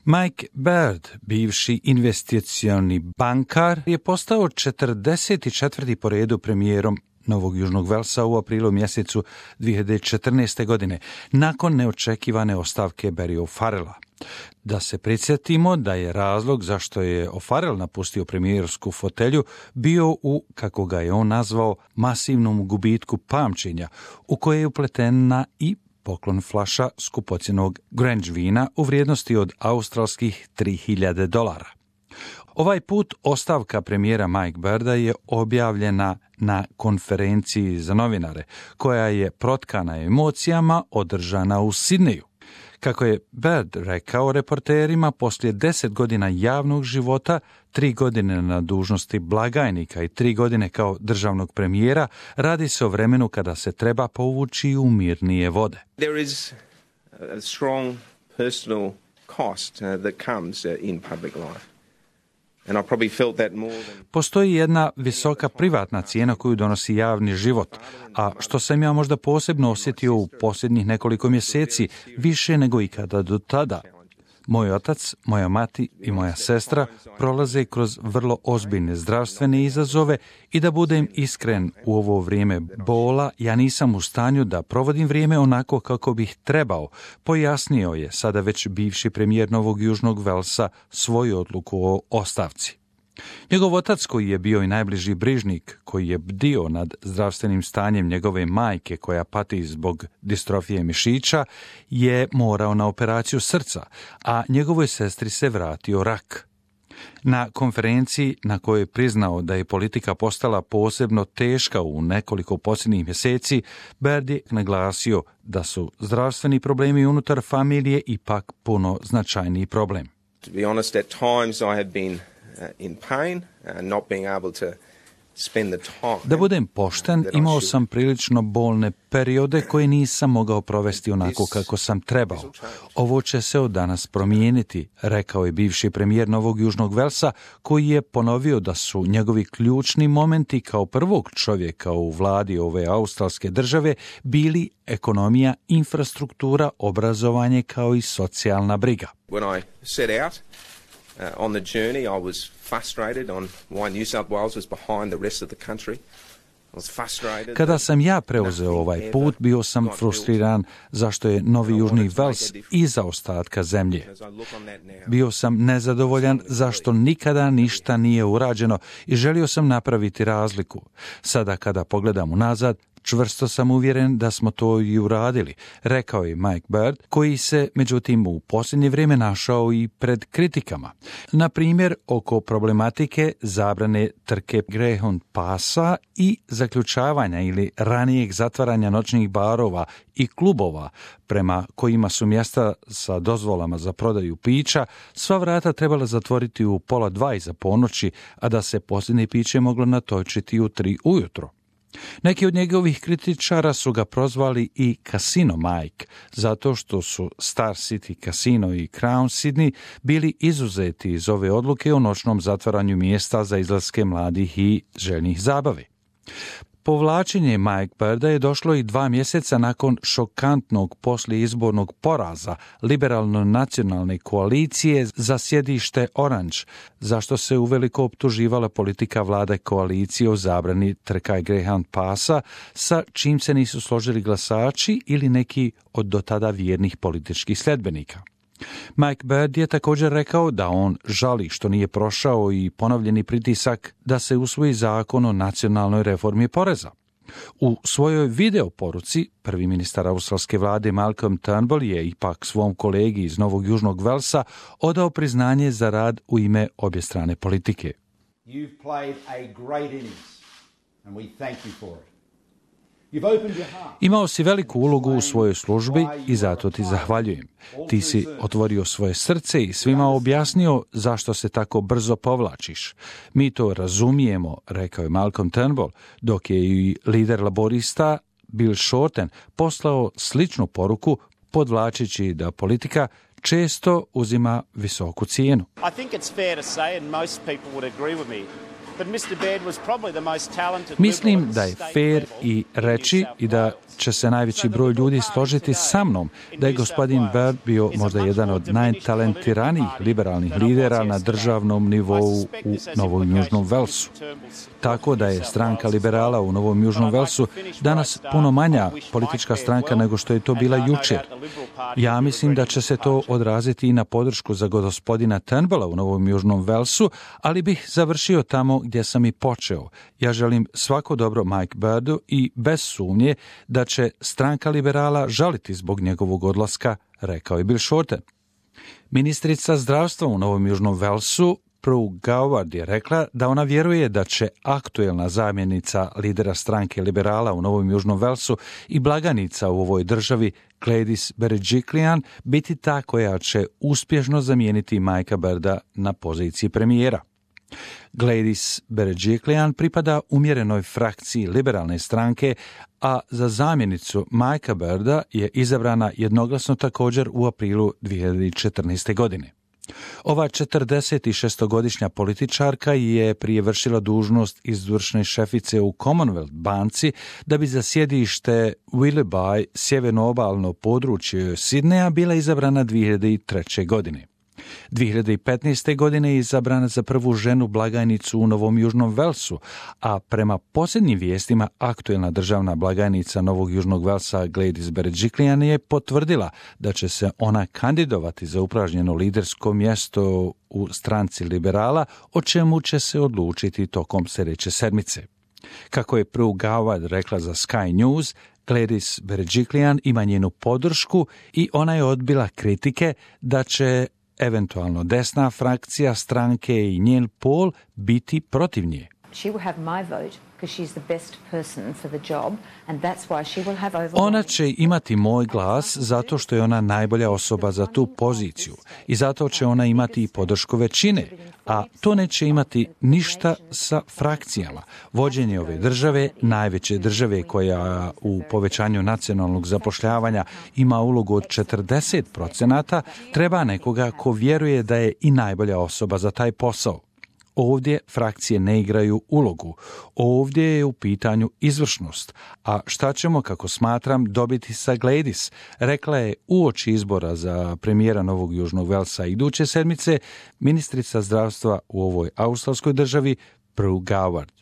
Mike Baird, bivši investicioni bankar, je postao 44. po redu premijerom Novog Južnog Velsa u aprilu mjesecu 2014. godine, nakon neočekivane ostavke Barry O'Farrella. Da se prisjetimo da je razlog zašto je O'Farrell napustio premijersku fotelju bio u, kako ga je on nazvao, masivnom gubitku pamćenja, u koje je upletena i poklon flaša skupocjenog Grange vina u vrijednosti od australskih $3.000. Ovaj put ostavka premijera Mike Bairda je objavljena na konferenciji za novinare, koja je protkana emocijama održana u Sidneju. Kako je Baird rekao reporterima, poslije 10 godina javnog života, 3 godine na dužnosti blagajnika i 3 godine kao državnog premijera, radi se o vremenu kada se treba povući u mirnije vode. There is a strong personal cost that comes in public life. Postoji jedna visoka privatna cijena koju donosi javni život, a što sam ja možda posebno osjetio u posljednjih nekoliko mjeseci, više nego ikada do tada. Moj otac, moja mati i moja sestra prolaze kroz vrlo ozbiljne zdravstvene izazove i da budem iskren, u ovo vrijeme bola ja nisam u stanju da provodim vrijeme onako kako bih trebao, pojasnio je sada već bivši premijer Novog Južnog Velsa svoju odluku o ostavci. Njegov otac, koji je bio i najbliži brižnik, koji je bdio nad zdravstvenim stanjem njegove majke koja pati zbog distrofije mišića, je morao na operaciju srca, a njegovoj sestri se vratio rak. Na konferenciji na kojoj je priznao da je politika postala posebno teška u nekoliko posljednjih mjeseci, Baird je naglasio da su zdravstveni problemi unutar familije ipak puno značajniji problem. To be honest, at times I have been in pain, not being able to spend the time. Da budem pošten, imao sam prilično bolne periode koje nisam mogao provesti onako kako sam trebao. Ovo će se od danas promijeniti, rekao je bivši premijer Novog Južnog Velsa, koji je ponovio da su njegovi ključni momenti kao prvog čovjeka u vladi ove australske države bili ekonomija, infrastruktura, obrazovanje kao i socijalna briga. When I set out on the journey, I was frustrated on why New South Wales was behind the rest of the country. Kada sam ja preuzeo ovaj put, bio sam frustriran zašto je Novi Južni Vels iza ostatka zemlje. Bio sam nezadovoljan zašto nikada ništa nije urađeno i želio sam napraviti razliku. Sada kada pogledam unazad, čvrsto sam uvjeren da smo to i uradili, rekao je Mike Baird, koji se međutim u posljednje vrijeme našao i pred kritikama. Na primjer, oko problematike zabrane trke Greyhound pasa i zaključavanja ili ranijeg zatvaranja noćnih barova i klubova, prema kojima su mjesta sa dozvolama za prodaju pića sva vrata trebala zatvoriti u 1:30 iza ponoći, a da se posljednje piće moglo natočiti u 3 ujutro. Neki od njegovih kritičara su ga prozvali i Casino Mike, zato što su Star City Casino i Crown Sydney bili izuzeti iz ove odluke o noćnom zatvaranju mjesta za izlaske mladih i željnih zabave. Povlačenje Mike Bairda je došlo i 2 mjeseca nakon šokantnog poslijeizbornog poraza liberalno-nacionalne koalicije za sjedište Orange, zašto se uveliko optuživala politika vlade koalicije o zabrani trka i Greyhound pasa, sa čim se nisu složili glasači ili neki od dotada vjernih političkih sljedbenika. Mike Baird je također rekao da on žali što nije prošao i ponovljeni pritisak da se usvoji zakon o nacionalnoj reformi poreza. U svojoj video poruci prvi ministar australske vlade Malcolm Turnbull je ipak svom kolegi iz Novog Južnog Velsa odao priznanje za rad u ime obje strane politike. You've played a great innings and we thank you for it. Imao si veliku ulogu u svojoj službi i zato ti zahvaljujem. Ti si otvorio svoje srce i svima objasnio zašto se tako brzo povlačiš. Mi to razumijemo, rekao je Malcolm Turnbull, dok je i lider laborista Bill Shorten poslao sličnu poruku podvlačeći da politika često uzima visoku cijenu. I think it's fair to say, and most people would agree with me, Mislim da je fair i reći i da će se najveći broj ljudi složiti sa mnom da je gospodin Baird bio možda jedan od najtalentiranijih liberalnih lidera na državnom nivou u Novom Južnom Velsu. Tako da je stranka liberala u Novom Južnom Velsu danas puno manja politička stranka nego što je to bila jučer. Ja mislim da će se to odraziti i na podršku za gospodina Turnbulla u Novom Južnom Velsu, ali bih završio tamo gdje sam i počeo. Ja želim svako dobro Mike Bairdu i bez sumnje da će stranka liberala žaliti zbog njegovog odlaska, rekao je Bill Shorten. Ministrica zdravstva u Novom Južnom Velsu Prue Goward je rekla da ona vjeruje da će aktuelna zamjenica lidera stranke liberala u Novom Južnom Velsu i blagajnica u ovoj državi Gladys Berejiklian biti ta koja će uspješno zamijeniti Mikea Bairda na poziciji premijera. Gladys Berejiklian pripada umjerenoj frakciji liberalne stranke, a za zamjenicu Mikea Bairda je izabrana jednoglasno također u aprilu 2014. godine. Ova 46-godišnja političarka je prije vršila dužnost izvršne šefice u Commonwealth banci da bi za sjedište Willoughby, sjeverno-obalno područje Sidneja, bila izabrana 2003. godine. 2015. godine je izabrana za prvu ženu blagajnicu u Novom Južnom Velsu, a prema posljednjim vijestima aktuelna državna blagajnica Novog Južnog Velsa Gladys Berejiklian je potvrdila da će se ona kandidovati za upražnjeno lidersko mjesto u stranci liberala, o čemu će se odlučiti tokom sljedeće sedmice. Kako je Prue Goward rekla za Sky News, Gladys Berejiklian ima njenu podršku i ona je odbila kritike da će eventualno desna frakcija stranke i njen pol biti protiv nje. Ona će imati moj glas zato što je ona najbolja osoba za tu poziciju i zato će ona imati i podršku većine, a to neće imati ništa sa frakcijama. Vođenje ove države, najveće države koja u povećanju nacionalnog zapošljavanja ima ulogu od 40%, treba nekoga ko vjeruje da je i najbolja osoba za taj posao. Ovdje frakcije ne igraju ulogu. Ovdje je u pitanju izvršnost. A šta ćemo, kako smatram, dobiti sa Gladys, rekla je uoči izbora za premijera Novog Južnog Velsa iduće sedmice ministrica zdravstva u ovoj australskoj državi Prue Goward.